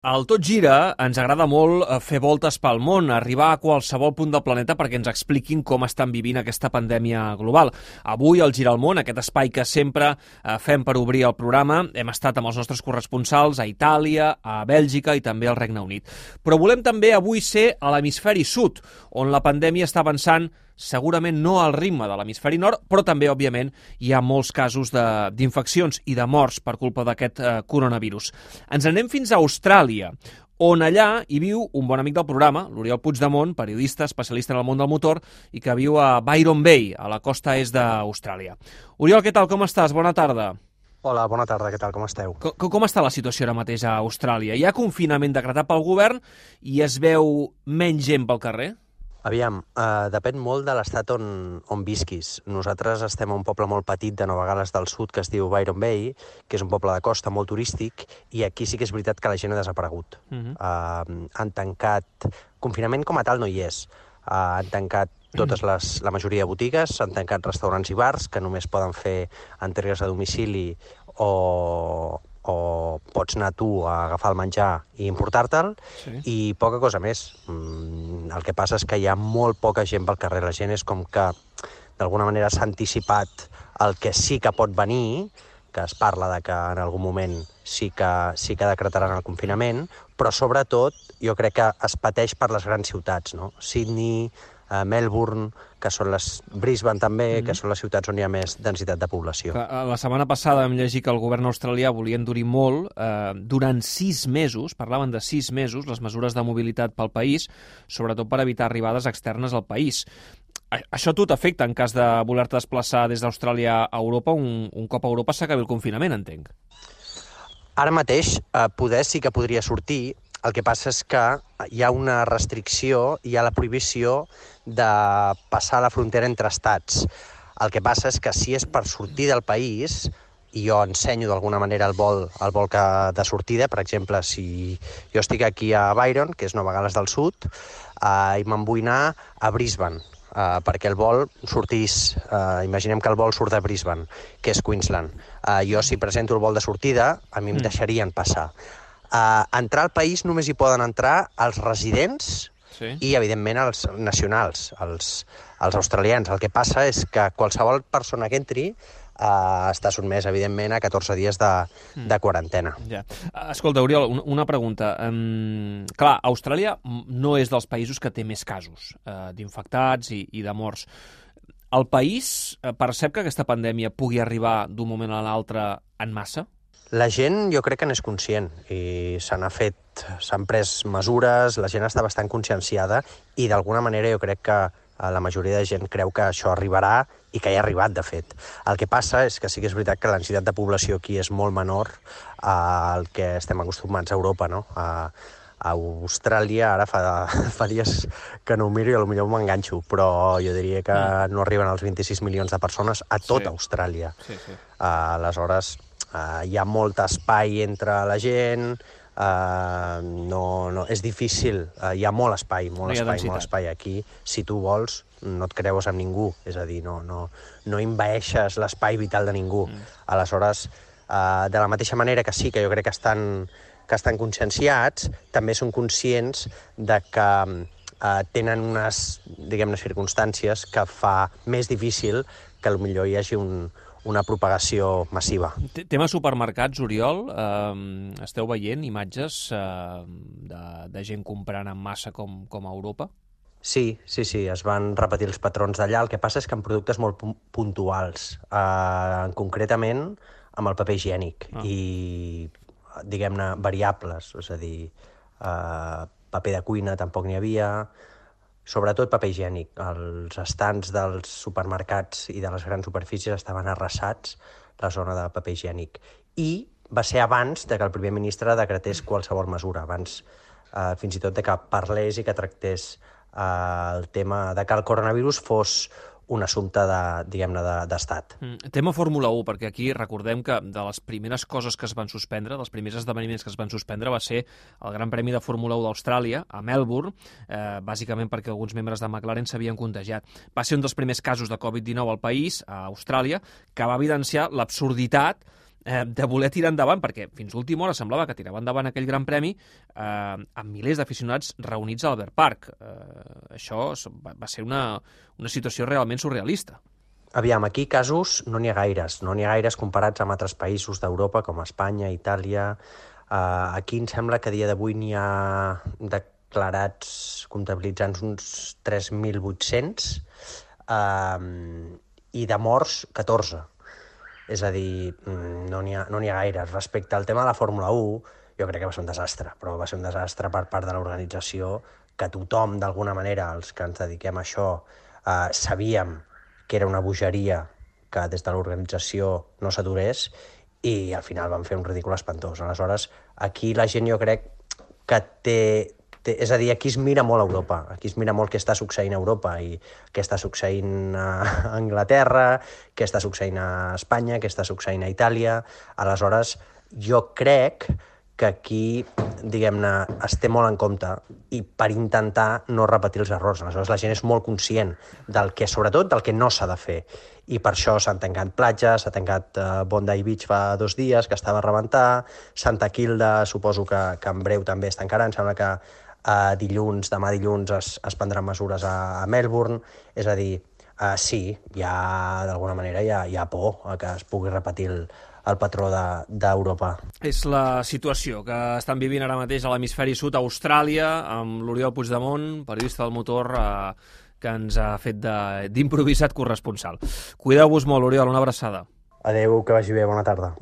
Al Tot Gira ens agrada molt fer voltes pel món, arribar a qualsevol punt del planeta perquè ens expliquin com estan vivint aquesta pandèmia global. Avui, al Gira al Món, aquest espai que sempre fem per obrir el programa, hem estat amb els nostres corresponsals a Itàlia, a Bèlgica i també al Regne Unit. Però volem també avui ser a l'hemisferi sud, on la pandèmia està avançant segurament no al ritme de l'hemisferi nord, però també, òbviament, hi ha molts casos d'infeccions i de morts per culpa d'aquest coronavirus. Ens anem fins a Austràlia, on allà hi viu un bon amic del programa, l'Oriol Puigdemont, periodista, especialista en el món del motor, i que viu a Byron Bay, a la costa est d'Austràlia. Oriol, què tal, com estàs? Bona tarda. Hola, bona tarda, què tal, com esteu? Com està la situació ara mateix a Austràlia? Hi ha confinament decretat pel govern i es veu menys gent pel carrer? Aviam, depèn molt de l'estat on visquis. Nosaltres estem a un poble molt petit de Nova Gal·les del Sud que es diu Byron Bay, que és un poble de costa molt turístic, i aquí sí que és veritat que la gent ha desaparegut. Han tancat... Confinament com a tal no hi és. Han tancat la majoria de botigues, han tancat restaurants i bars, que només poden fer entregues a domicili o pots anar tu a agafar el menjar i importar-te'l, sí. I poca cosa més. El que passa és que hi ha molt poca gent pel carrer. La gent és com que d'alguna manera s'ha anticipat el que sí que pot venir, que es parla de que en algun moment sí que decretaran el confinament, però sobretot jo crec que es pateix per les grans ciutats, no? Sydney, Melbourne, que són Brisbane també, que són les ciutats on hi ha més densitat de població. La setmana passada vam llegir que el govern australià volia endurir molt. Durant 6 mesos, parlaven de 6 mesos, les mesures de mobilitat pel país, sobretot per evitar arribades externes al país. Això a tu t'afecta en cas de voler-te desplaçar des d'Austràlia a Europa, un cop a Europa s'acabi el confinament, entenc. Ara mateix, poder sí que podria sortir. El que passa és que hi ha una restricció, hi ha la prohibició de passar la frontera entre estats. El que passa és que si és per sortir del país, i jo ensenyo d'alguna manera el vol de sortida, per exemple, si jo estic aquí a Byron, que és Nova Gal·les del Sud, i me'n vull anar a Brisbane, perquè el vol sortís, imaginem que el vol surt de Brisbane, que és Queensland. Jo si presento el vol de sortida, a mi em deixarien passar. Entrar al país només hi poden entrar els residents, sí, i, evidentment, els nacionals, els australians. El que passa és que qualsevol persona que entri està sotmès, evidentment, a 14 dies de quarantena. Ja. Escolta, Oriol, una pregunta. Clar, Austràlia no és dels països que té més casos d'infectats i de morts. El país percep que aquesta pandèmia pugui arribar d'un moment a l'altre en massa? La gent jo crec que n'és conscient i s'han pres mesures, la gent està bastant conscienciada i d'alguna manera jo crec que la majoria de gent creu que això arribarà i que ja ha arribat, de fet. El que passa és que sí que és veritat que la densitat de població aquí és molt menor al que estem acostumats a Europa, no? A Austràlia, ara fa dies que no ho miro i potser m'enganxo, però jo diria que no arriben als 26 milions de persones a tota Austràlia. Sí. Aleshores, hi ha molt espai entre la gent, és difícil, hi ha molt espai aquí. Si tu vols, no et creus amb ningú, és a dir, no envaeixes l'espai vital de ningú. Aleshores, de la mateixa manera que sí que jo crec que estan conscienciats, també són conscients de que tenen unes, diguem-ne, circumstàncies que fa més difícil que potser hi hagi una propagació massiva. Tema supermercats, Oriol, esteu veient imatges de gent comprant en massa com a Europa? Sí, es van repetir els patrons d'allà. El que passa és que en productes molt puntuals, concretament amb el paper higiènic i, diguem-ne, variables, és a dir, paper de cuina tampoc n'hi havia, sobretot paper higiènic. Els estants dels supermercats i de les grans superfícies estaven arrasats, la zona de paper higiènic. I va ser abans de que el primer ministre decretés qualsevol mesura, abans fins i tot de que parlés i que tractés el tema de que el coronavirus fos un assumpte d'estat. Tema Fórmula 1, perquè aquí recordem que de les primeres coses que es van suspendre, dels primers esdeveniments que es van suspendre, va ser el Gran Premi de Fórmula 1 d'Austràlia, a Melbourne, bàsicament perquè alguns membres de McLaren s'havien contagiat. Va ser un dels primers casos de Covid-19 al país, a Austràlia, que va evidenciar l'absurditat de voler tirar endavant, perquè fins a última hora semblava que tirava endavant aquell Gran Premi amb milers d'aficionats reunits a Albert Park. Això va ser una situació realment surrealista. Aviam, aquí casos no n'hi ha gaires. No n'hi ha gaires comparats amb altres països d'Europa, com Espanya, Itàlia. Aquí em sembla que a dia d'avui n'hi ha declarats, comptabilitzant uns 3.800, i de morts 14. És a dir, no n'hi ha gaires. Respecte al tema de la Fórmula 1, jo crec que va ser un desastre, però va ser un desastre per part de l'organització, que tothom, d'alguna manera, els que ens dediquem a això, sabíem que era una bogeria que des de l'organització no s'aturés, i al final van fer un ridícul espantós. Aleshores, aquí la gent jo crec que és a dir, aquí es mira molt a Europa, aquí es mira molt què està succeint a Europa i què està succeint a Anglaterra, què està succeint a Espanya, què està succeint a Itàlia. Aleshores, jo crec que aquí, diguem-ne, es té molt en compte i per intentar no repetir els errors. Aleshores, la gent és molt conscient sobretot del que no s'ha de fer. I per això s'han tancat platges, s'ha tancat Bondi Beach fa 2 dies, que estava a rebentar, Santa Kilda suposo que en breu també es tancarà, em sembla que demà dilluns es prendran mesures a Melbourne. És a dir, sí, d'alguna manera hi ha por que es pugui repetir el patró d'Europa. És la situació que estan vivint ara mateix a l'hemisferi sud, a Austràlia, amb l'Oriol Puigdemont, periodista del Motor, que ens ha fet d'improvisat corresponsal. Cuideu-vos molt, Oriol, una abraçada. Adéu, que vagi bé, bona tarda.